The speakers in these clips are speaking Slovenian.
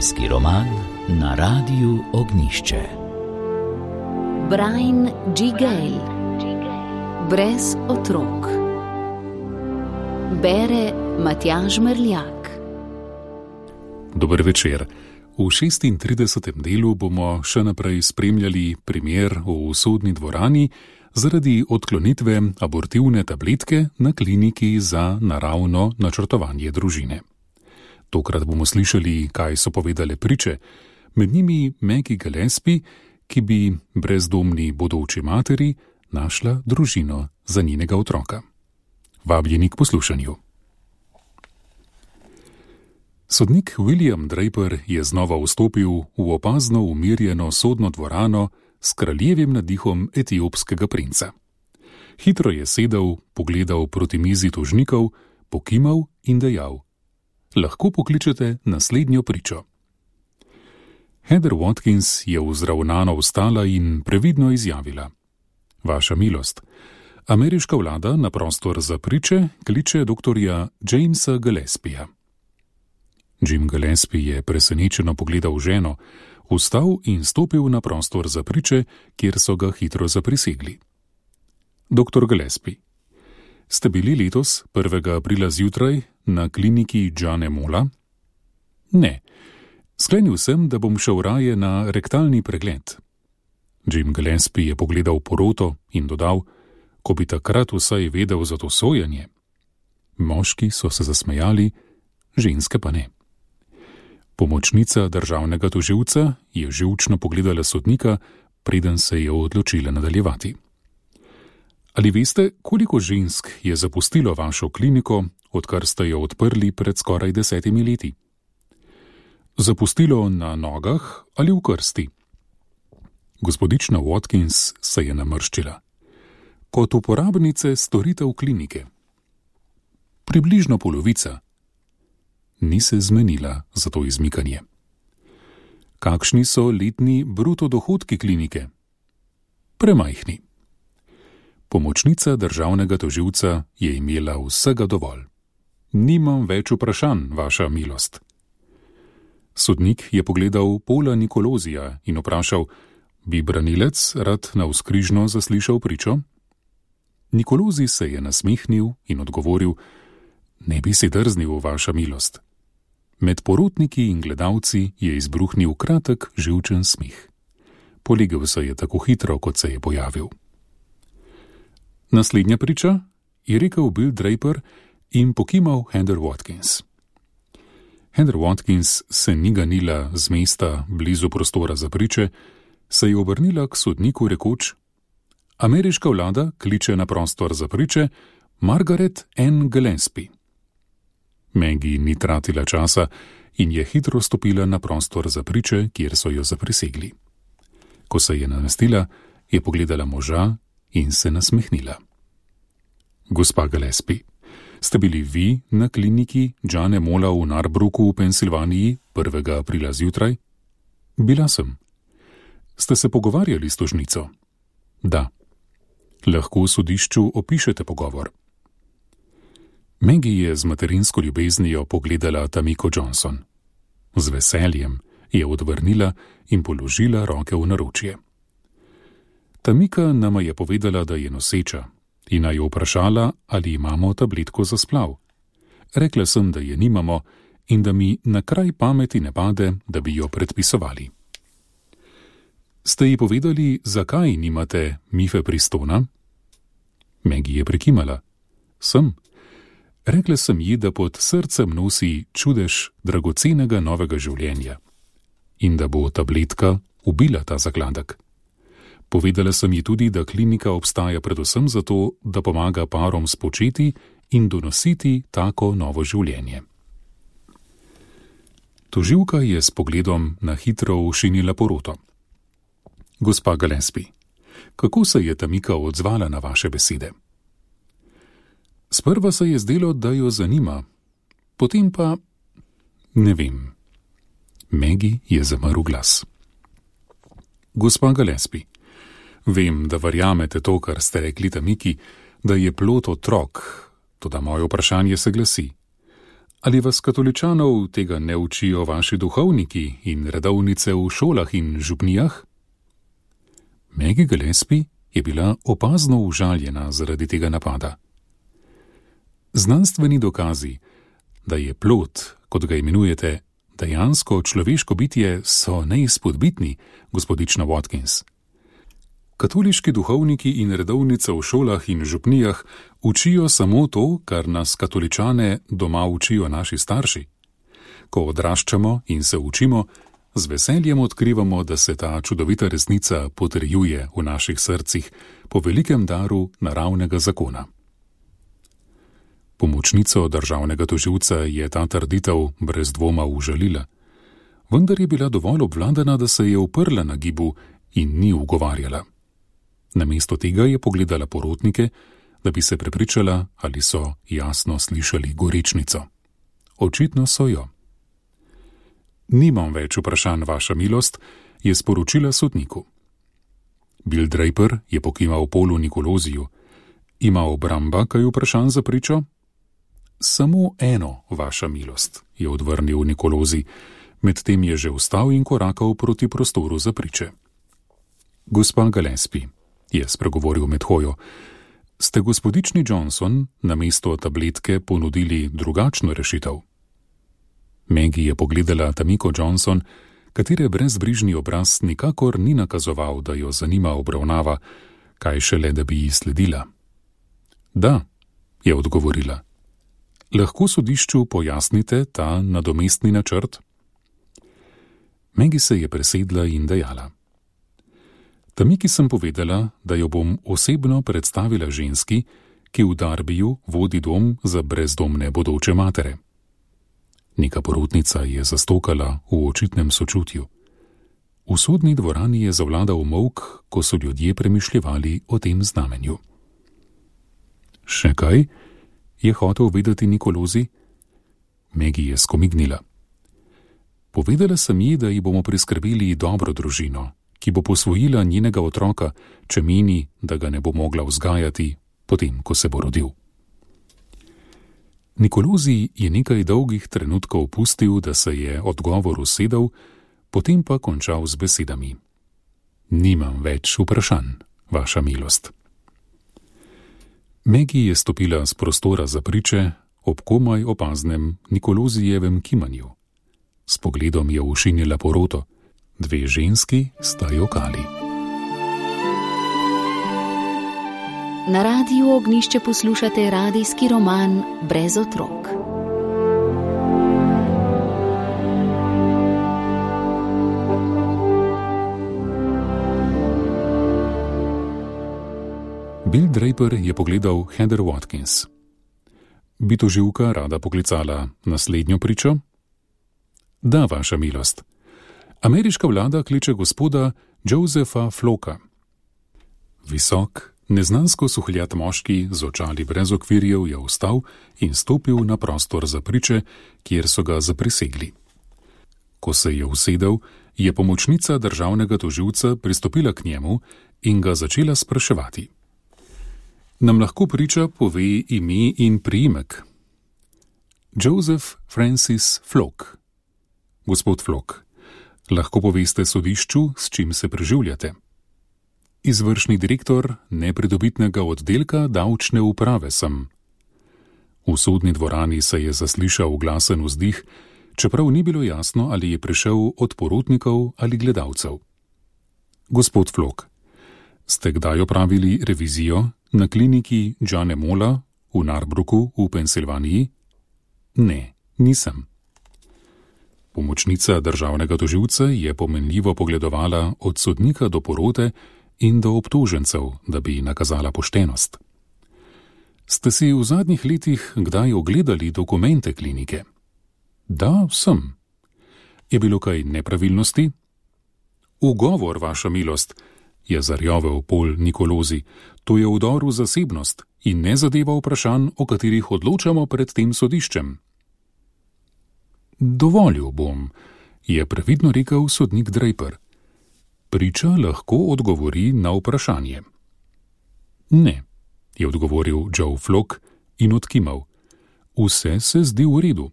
Družinski roman na Radiu Ognjišče. Brian G. Gale. Brez otrok. Bere Matjaž Merljak. Dober večer. V 36. delu bomo še naprej spremljali primer v sodni dvorani zaradi odklonitve abortivne tabletke na kliniki za naravno načrtovanje družine. Tokrat bomo slišali, kaj so povedale priče, med njimi Maggie Gillespie, ki bi brezdomni bodoči materi našla družino za njenega otroka. Vabljeni k poslušanju. Sodnik William Draper je znova vstopil v opazno umirjeno sodno dvorano s kraljevim nadihom etiopskega princa. Hitro je sedel, pogledal proti mizi tožnikov, pokimal in dejal: lahko pokličete naslednjo pričo. Heather Watkins je vzravnano vstala in previdno izjavila: vaša milost, ameriška vlada na prostor za priče kliče doktorja Jamesa Gillespieja. Jim Gillespie je presenečeno pogledal ženo, vstal in stopil na prostor za priče, kjer so ga hitro zaprisegli. Doktor Gillespie, ste bili letos 1. aprila zjutraj na kliniki Jane Mola? Ne. Sklenil sem, da bom šel raje na rektalni pregled. Jim Gillespie je pogledal poroto in dodal: ko bi takrat vsaj vedel za to sojenje. Moški so se zasmejali, ženske pa ne. Pomočnica državnega tožilca je živčno pogledala sodnika, preden se je odločila nadaljevati. Ali veste, koliko žensk je zapustilo vašo kliniko, odkar ste jo odprli pred skoraj 10 leti? Zapustilo na nogah ali v krsti? Gospodična Watkins se je namrščila. Kot uporabnice storitev klinike. Približno polovica. Ni se zmenila za to izmikanje. Kakšni so letni bruto dohodki klinike? Premajhni. Pomočnica državnega tožilca je imela vsega dovolj. Nimam več vprašanj, vaša milost. Sodnik je pogledal Paula Nikolozija in vprašal: bi branilec rad navzkrižno zaslišal pričo? Nikolozi se je nasmehnil in odgovoril: ne bi si drznil, vaša milost. Med porotniki in gledalci je izbruhnil kratek, živčen smeh. Polegel se je tako hitro, kot se je pojavil. Naslednja priča, je rekel Bill Draper in pokimal Heather Watkins. Heather Watkins se ni ganila z mesta blizu prostora za priče, se je obrnila k sodniku rekoč: ameriška vlada kliče na prostor za priče Margaret N. Gillespie. Maggie ni tratila časa in je hitro stopila na prostor za priče, kjer so jo zaprisegli. Ko se je namestila, je pogledala moža in se nasmehnila. Gospa Gillespie, ste bili vi na kliniki Jane Mola v Narbrooku v Pensilvaniji 1. aprila zjutraj? Bila sem. Ste se pogovarjali s tožnico? Da. Lahko v sodišču opišete pogovor. Maggie je z materinsko ljubeznijo pogledala Tamiko Johnson. Z veseljem je odvrnila in položila roke v naročje. Tamika nama je povedala, da je noseča in naj jo vprašala, ali imamo tabletko za splav. Rekla sem, da je nimamo in da mi na kraj pameti ne pade, da bi jo predpisovali. Ste ji povedali, zakaj nimate mifepristona? Maggie je prikimala. Sem. Rekla sem ji, da pod srcem nosi čudež dragocenega novega življenja in da bo tabletka ubila ta zakladek. Povedala sem ji tudi, da klinika obstaja predvsem zato, da pomaga parom spočeti in donositi tako novo življenje. Tožilka je s pogledom na hitro ošinila poroto. Gospa Gillespie, kako se je Tamika odzvala na vaše besede? Sprva se je zdelo, da jo zanima, potem pa ne vem. Maggie je zamrl glas. Gospa Gillespie, vem, da verjamete to, kar ste rekli Tamiki, da je plod otrok, toda moje vprašanje se glasi: Ali vas katoličanov tega ne učijo vaši duhovniki in redovnice v šolah in župnijah? Maggie Gillespie je bila opazno užaljena zaradi tega napada. Znanstveni dokazi, da je plod, kot ga imenujete, dejansko človeško bitje, so neizpodbitni, gospodična Watkins. Katoliški duhovniki in redovnice v šolah in župnijah učijo samo to, kar nas katoličane doma učijo naši starši. Ko odraščamo in se učimo, z veseljem odkrivamo, da se ta čudovita resnica potrjuje v naših srcih po velikem daru naravnega zakona. Pomočnico državnega tožilca je ta trditev brez dvoma užalila, vendar je bila dovolj obvladana, da se je uprla na gibu in ni ugovarjala. Namesto tega je pogledala porotnike, da bi se prepričala, ali so jasno slišali gorečnico. Očitno so jo. Nimam več vprašanj, vaša milost, je sporočila sodniku. Bill Draper je pokimal Polu Nikoloziju. Ima obramba kaj vprašanj za pričo? Samo eno, vaša milost, je odvrnil Nikolozi, medtem je že vstal in korakal proti prostoru za priče. Gospa Gillespie, je spregovoril med hojo, ste gospodični Johnson namesto tabletke ponudili drugačno rešitev? Maggie je pogledala Tamiko Johnson, katere brezbrižni obraz nikakor ni nakazoval, da jo zanima obravnava, kaj šele, da bi ji sledila. Da, je odgovorila. Lahko sodišču pojasnite ta nadomestni načrt? Maggie se je presedla in dejala. Tamiki sem povedala, da jo bom osebno predstavila ženski, ki v Darbiju vodi dom za brezdomne bodoče matere. Neka porotnica je zastokala v očitnem sočutju. V sodni dvorani je zavladal molk, ko so ljudje premišljevali o tem znamenju. Še kaj? Je hotel vedeti Nikolozi? Maggie je skomignila. Povedala sem ji, da ji bomo priskrbeli dobro družino, ki bo posvojila njenega otroka, če meni, da ga ne bo mogla vzgajati, potem, ko se bo rodil. Nikolozi je nekaj dolgih trenutkov pustil, da se je odgovor usedel, potem pa končal z besedami. Nimam več vprašanj, vaša milost. Maggie je stopila z prostora za priče ob komaj opaznem Nikolozijevem kimanju. S pogledom je ušinila poroto. Dve ženski sta jokali. Na Radiu Ognjišče poslušate radijski roman Brez otrok. Bill Draper je pogledal Heather Watkins. Bi tožilka rada poklicala naslednjo pričo? Da, vaša milost. Ameriška vlada kliče gospoda Josepha Floka. Visok, neznansko suhljat moški z očali brez okvirjev je vstal in stopil na prostor za priče, kjer so ga zaprisegli. Ko se je usedel, je pomočnica državnega tožilca pristopila k njemu in ga začela spraševati. Nam lahko priča pove ime in priimek? Joseph Francis Flok. Gospod Flok, lahko poveste sodišču, s čim se preživljate? Izvršni direktor nepridobitnega oddelka davčne uprave sem. V sodni dvorani se je zaslišal glasen vzdih, čeprav ni bilo jasno, ali je prišel od porotnikov ali gledalcev. Gospod Flok, ste kdaj opravili revizijo na kliniki Johna Molla v Narbrooku v Pensilvaniji? Ne, nisem. Pomočnica državnega tožilca je pomenljivo pogledovala od sodnika do porote in do obtožencev, da bi nakazala poštenost. Ste si v zadnjih letih kdaj ogledali dokumente klinike? Da, sem. Je bilo kaj nepravilnosti? Ugovor, vaša milost, je zarjovel Pol Nikolozi, to je vdor v zasebnost in ne zadeva vprašanj, o katerih odločamo pred tem sodiščem. Dovolil bom, je previdno rekel sodnik Draper. Priča lahko odgovori na vprašanje. Ne, je odgovoril Joe Flok in odkimal. Vse se zdi v redu.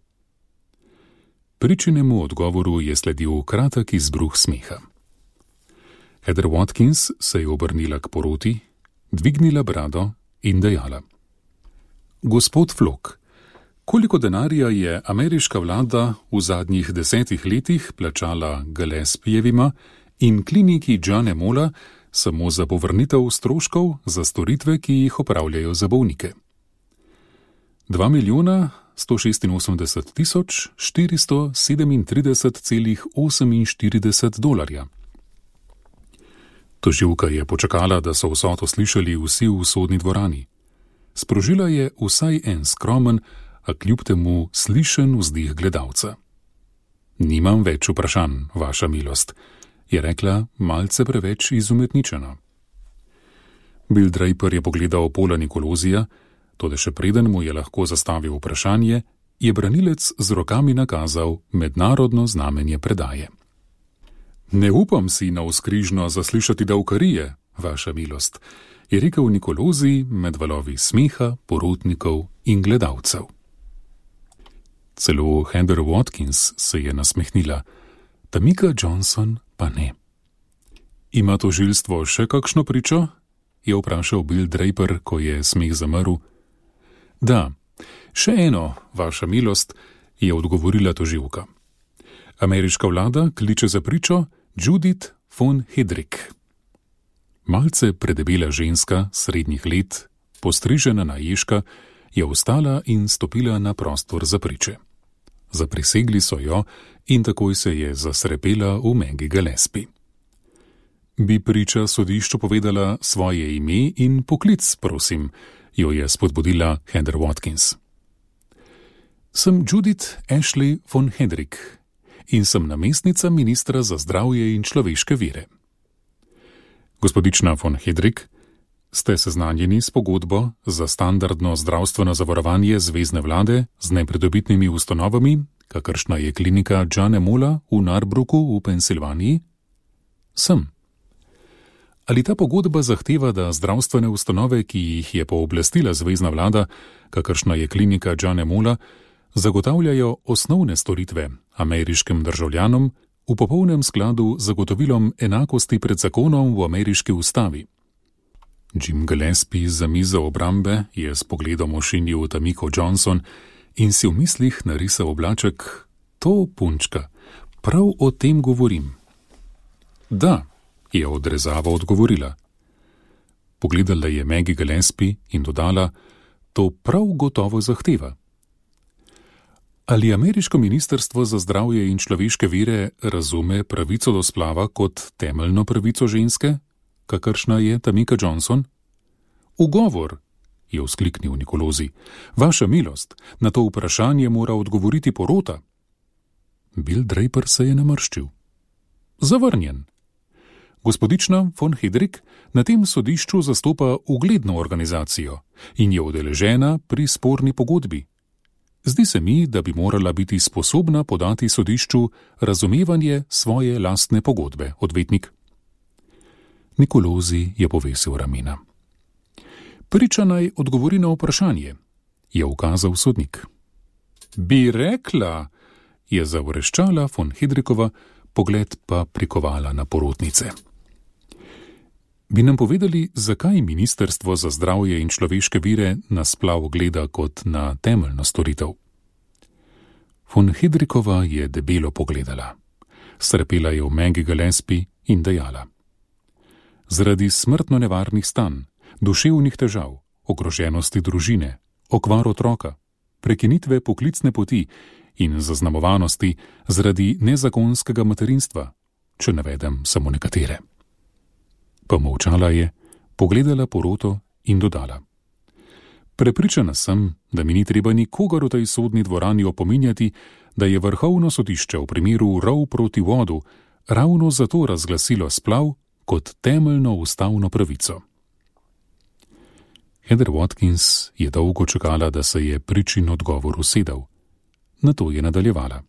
Pričinemu odgovoru je sledil kratek izbruh smeha. Heather Watkins se je obrnila k poroti, dvignila brado in dejala: Gospod Flock, koliko denarja je ameriška vlada v zadnjih 10 letih plačala Gillespijevima in kliniki Johna Molla samo za povrnitev stroškov za storitve, ki jih opravljajo za bolnike? 2.188.437,48 dolarja. Tožilka je počakala, da so vsoto slišali vsi v sodni dvorani. Sprožila je vsaj en skromen, a kljub temu slišen vzdih gledalca. Nimam več vprašanj, vaša milost, je rekla malce preveč izumetničena. Bill Draper je pogledal Paula Nicolosija, toda še preden mu je lahko zastavil vprašanje, je branilec z rokami nakazal mednarodno znamenje predaje. Ne upam si navzkrižno zaslišati davkarije, vaša milost, je rekel Nicolosi med valovi smeha, porotnikov in gledalcev. Celo Heather Watkins se je nasmehnila, Tamika Johnson pa ne. Ima tožilstvo še kakšno pričo? Je vprašal Bill Draper, ko je smeh zamrl. Da, še eno, vaša milost, je odgovorila tožilka. Ameriška vlada kliče za pričo Judith von Hedrick. Malce predebela ženska srednjih let, postrižena na ježka, je vstala in stopila na prostor za priče. Zaprisegli so jo in takoj se je zasrepela v Maggie Gillespie. Bi priča sodišču povedala svoje ime in poklic, prosim, jo je spodbudila Heather Watkins. Sem Judith Ashley von Hedrick in sem namestnica ministra za zdravje in človeške vire. Gospodična von Hedrick, ste seznanjeni s pogodbo za standardno zdravstveno zavarovanje zvezne vlade z nepridobitnimi ustanovami, kakršna je klinika Johna Molla v Narbrooku v Pensilvaniji? Sem. Ali ta pogodba zahteva, da zdravstvene ustanove, ki jih je pooblastila zvezna vlada, kakršna je klinika Johna Molla, zagotavljajo osnovne storitve ameriškim državljanom v popolnem skladu z zagotovilom enakosti pred zakonom v ameriški ustavi? Jim Gillespie za mizo obrambe je s pogledom ošinil Tamiko Johnson in si v mislih narisal oblaček: to, punčka, prav o tem govorim. Da, je odrezavo odgovorila. Pogledala je Maggie Gillespie in dodala: to prav gotovo zahteva. Ali ameriško ministrstvo za zdravje in človeške vire razume pravico do splava kot temeljno pravico ženske, kakršna je Tamika Johnson? Ugovor, je vzkliknil Nicolosi. Vaša milost, na to vprašanje mora odgovoriti porota. Bill Draper se je namrščil. Zavrnjen. Gospodična von Hedrick na tem sodišču zastopa ugledno organizacijo in je udeležena pri sporni pogodbi. Zdi se mi, da bi morala biti sposobna podati sodišču razumevanje svoje lastne pogodbe, odvetnik. Nicolosi je povesil ramena. Priča naj odgovori na vprašanje, je ukazal sodnik. Bi rekla, je zavreščala von Hedrickova, pogled pa prikovala na porotnice. Bi nam povedali, zakaj Ministrstvo za zdravje in človeške vire na splav gleda kot na temeljno storitev? Von Hedrickova je debelo pogledala. Srepela je v Maggie Gillespie in dejala: zaradi smrtno nevarnih stanj, duševnih težav, ogroženosti družine, okvar otroka, prekinitve poklicne poti in zaznamovanosti zaradi nezakonskega materinstva, če navedem samo nekatere. Pomolčala je, pogledala poroto in dodala: prepričana sem, da mi ni treba nikogar v tej sodni dvorani opominjati, da je Vrhovno sodišče v primeru Roe proti Wadu ravno zato razglasilo splav kot temeljno ustavno pravico. Heather Watkins je dolgo čakala, da se je pričin odgovor usedel. Nato je nadaljevala.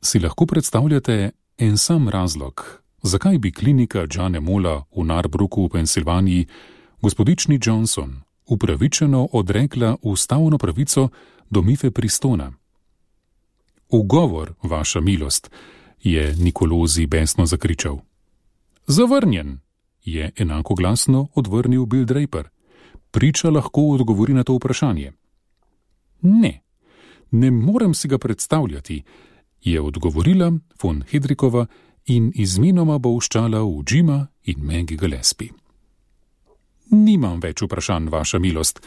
Si lahko predstavljate en sam razlog, zakaj bi klinika Johna Molla v Narbrooku v Pensilvaniji gospodični Johnson upravičeno odrekla ustavno pravico do Mifepristona? Ugovor, vaša milost, je Nicolosi besno zakričal. Zavrnjen, je enako glasno odvrnil Bill Draper. Priča lahko odgovori na to vprašanje. Ne morem si ga predstavljati, je odgovorila von Hedrikova in izmenoma bolščala v Jima in Maggie Gillespie. Nimam več vprašanj, vaša milost,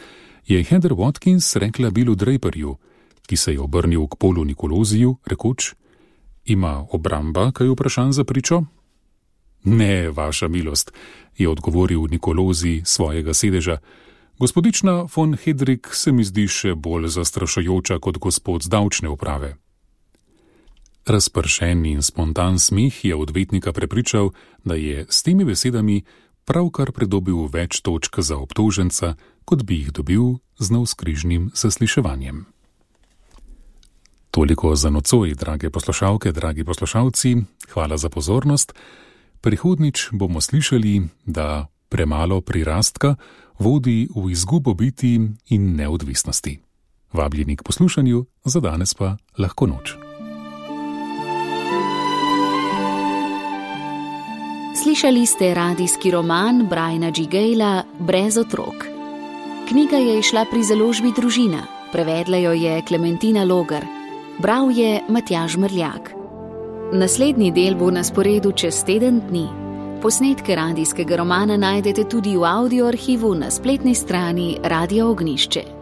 je Heather Watkins rekla Billu Draperju, ki se je obrnil k Paulu Nicolosiju, rekoč: Ima obramba kaj vprašanj za pričo? Ne, vaša milost, je odgovoril Nicolosi svojega sedeža. Gospodična von Hedrik se mi zdi še bolj zastrašujoča kot gospod z davčne uprave. Razpršen in spontan smeh je odvetnika prepričal, da je s temi besedami pravkar pridobil več točk za obtoženca, kot bi jih dobil z navzkrižnim zasliševanjem. Toliko za nocoj, drage poslušalke, dragi poslušalci, hvala za pozornost. Prihodnič bomo slišali, da premalo prirastka vodi v izgubo biti in neodvisnosti. Vabljeni k poslušanju, za danes pa lahko noč. Slišali ste radijski roman Briana G. Gayla Brez otrok. Knjiga je izšla pri založbi Družina, prevedla jo je Klementina Logar, bral je Matjaž Mrljak. Naslednji del bo na sporedu čez teden dni. Posnetke radijskega romana najdete tudi v audio arhivu na spletni strani Radia Ognjišče.